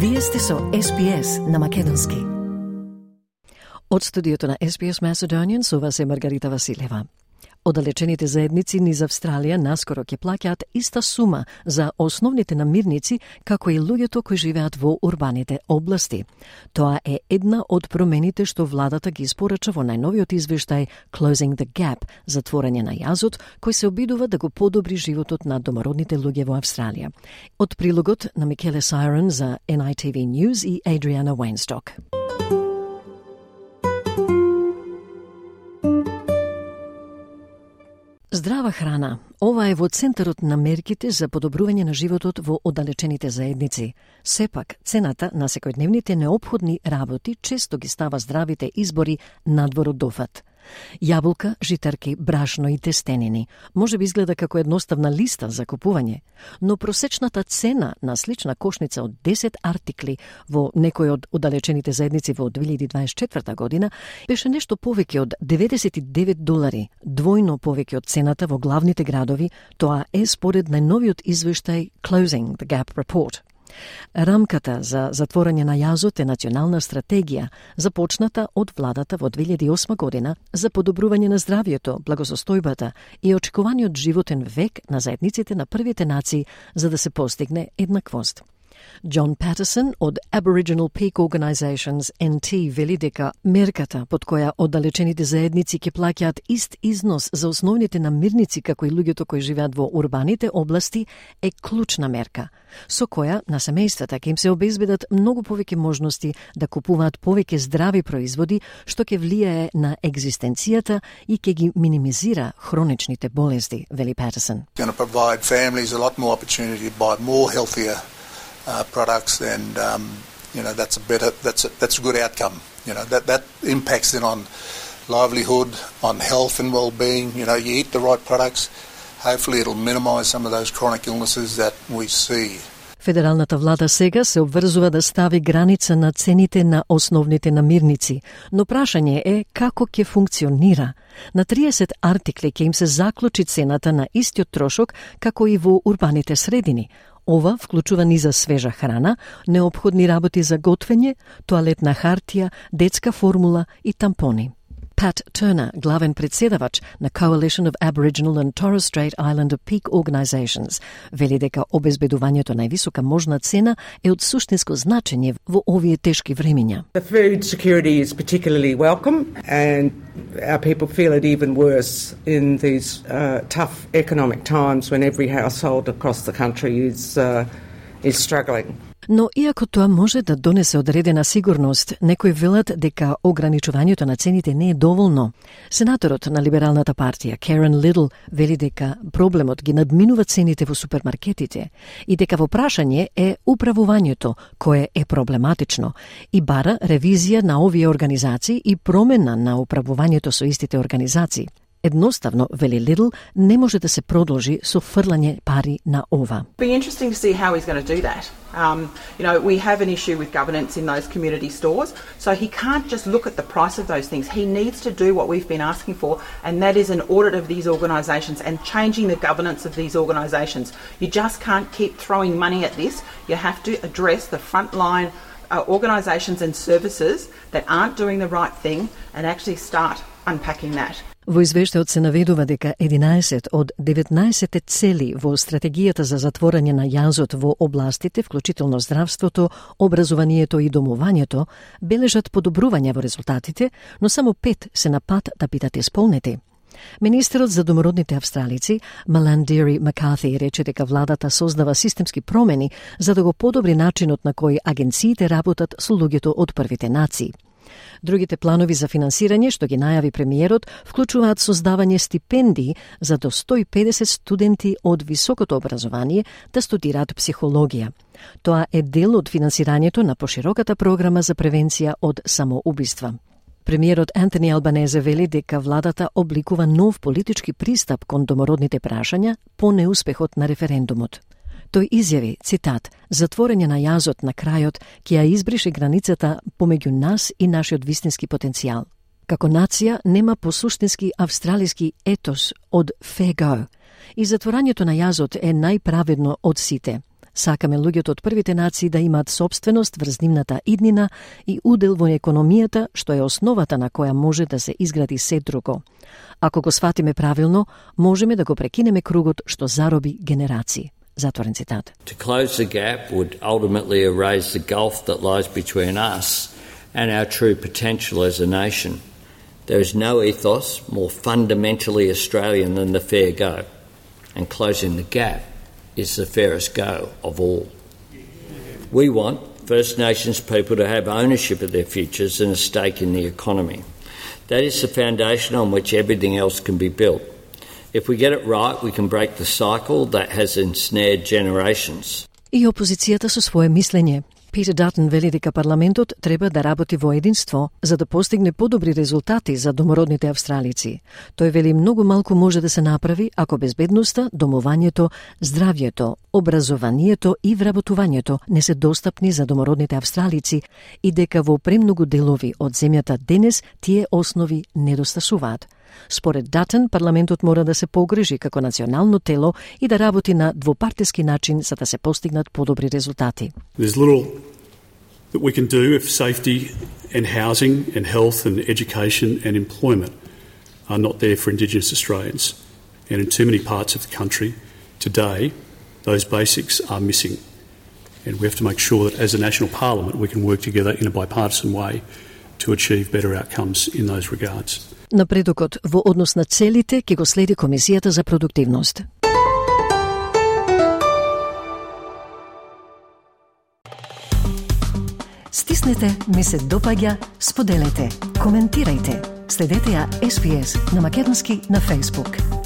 Вие сте со SBS на македонски. Од студиото на SBS Macedonian со вас е Маргарита Василева. Оддалечените заедници низ Австралија наскоро ќе плаќаат иста сума за основните намирници како и луѓето кои живеат во урбаните области. Тоа е една од промените што владата ги испорача во најновиот извештај Closing the Gap, затворање на јазот, кој се обидува да го подобри животот на домородните луѓе во Австралија. Од прилогот на Микеле Сайрон за NITV News и Adriana Weinstock. Здрава храна. Ова е во центарот на мерките за подобрување на животот во оддалечените заедници. Сепак, цената на секојдневните неопходни работи често ги става здравите избори надвор од дофат. Јаболка, житарки, брашно и тестенини. Може би изгледа како едноставна листа за купување, но просечната цена на слична кошница од 10 артикли во некој од оддалечените заедници во 2024 година беше нешто повеќе од $99, двојно повеќе од цената во главните градови. Тоа е според најновиот извештај Closing the Gap Report. Рамката за затворање на јазот е национална стратегија, започната од владата во 2008 година за подобрување на здравјето, благосостојбата и очекуваниот животен век на заедниците на првите нации за да се постигне еднаквост. John Patterson од Aboriginal Peak Organizations NT вели дека мерката под која оддалечените заедници ќе плаќаат ист износ за основните намирници како и луѓето кои живеат во урбаните области е клучна мерка, со која на семејствата ќе им се обезбедат многу повеќе можности да купуваат повеќе здрави производи, што ќе влијае на екзистенцијата и ќе ги минимизира хроничните болести, вели Patterson. Going to provide families a lot more opportunity to buy more healthier products, and that's a good outcome. That impacts then on livelihood, on health and well-being. You eat the right products, hopefully it'll minimise some of those chronic illnesses that we see. Федералната влада сега се обврзува да стави граница на цените на основните намирници, но прашање е како ќе функционира. На 30 артикли ќе им се заклучи цената на истиот трошок како и во урбаните средини. Ова вклучува низа свежа храна, неопходни работи за готвење, тоалетна хартија, детска формула и тампони. Pat Turner, главен председавач на Coalition of Aboriginal and Torres Strait Islander Peak Organizations, вели дека обезбедувањето највисока можна цена е од суштинско значење во овие тешки времиња. The food security is particularly welcome, and our people feel it even worse in these tough economic times when every household across the country is struggling. Но иако тоа може да донесе одредена сигурност, некои велат дека ограничувањето на цените не е доволно. Сенаторот на Либералната партија, Karen Little, вели дека проблемот ги надминува цените во супермаркетите и дека во прашање е управувањето кое е проблематично и бара ревизија на овие организации и промена на управувањето со истите организации. Едноставно, вели Лидл, не може да се продолжи со фрлање пари на ова. Be interesting to see how he's going to do that. We have an issue with governance in those community stores, so he can't just look at the price of those things. He needs to do what we've been asking for, and that is an audit of these organisations and changing the governance of these organisations. You just can't keep throwing money at this. You have to address the frontline organisations and services that aren't doing the right thing and actually start unpacking that. Во извештајот се наведува дека 11 од 19 цели во стратегијата за затворање на јазот во областите, вклучително здравството, образованието и домувањето, бележат подобрување во резултатите, но само 5 се на пат да бидат исполнети. Министерот за домородните австралици, Маlandiri Макарти, рече дека владата создава системски промени за да го подобри начинот на кој агенциите работат со луѓето од првите нации. Другите планови за финансирање што ги најави премиерот вклучуваат создавање стипендии за до 150 студенти од високото образование да студираат психологија. Тоа е дел од финансирањето на пошироката програма за превенција од самоубиства. Премиерот Антони Албанезе вели дека владата обликува нов политички пристап кон домородните прашања по неуспехот на референдумот. Тој изјави, цитат, затворање на јазот на крајот ќе ја избрише границата помеѓу нас и нашиот вистински потенцијал. Како нација нема посуштински австралиски етос од fair go и затворањето на јазот е најправедно од сите. Сакаме луѓето од првите нации да имаат собственост врз нивната иднина и удел во економијата, што е основата на која може да се изгради се друго. Ако го сватиме правилно, можеме да го прекинеме кругот што зароби генерации. Затворен цитат. To close the gap would ultimately erase the gulf that lies between us and our true potential as a nation. There is no ethos more fundamentally Australian than the fair go, and closing the gap is the fairest go of all. We want First Nations people to have ownership of their futures and a stake in the economy. That is the foundation on which everything else can be built. If we get it right, we can break the cycle that has ensnared generations. И опозицијата со свое мислење. Питер Датон вели дека парламентот треба да работи во единство за да постигне подобри резултати за домородните австралици. Тој вели многу малку може да се направи ако безбедноста, домувањето, здравјето, образованието и вработувањето не се достапни за домородните австралици и дека во премногу делови од земјата денес тие основи недостасуваат. Според Датон, парламентот мора да се погрижи како национално тело и да работи на двопартиски начин за да се постигнат подобри резултати. There's little that we can do if safety and housing and health and education and employment are not there for Indigenous Australians. And in too many parts of the country today, those basics are missing. And we have to make sure that as a national parliament we can work together in a bipartisan way to achieve better outcomes in those regards. Напредокот во однос на целите ќе го следи Комисијата за продуктивност. Стиснете, ми се допаѓа, споделете, коментирајте. Следете ја SPS на македонски на Facebook.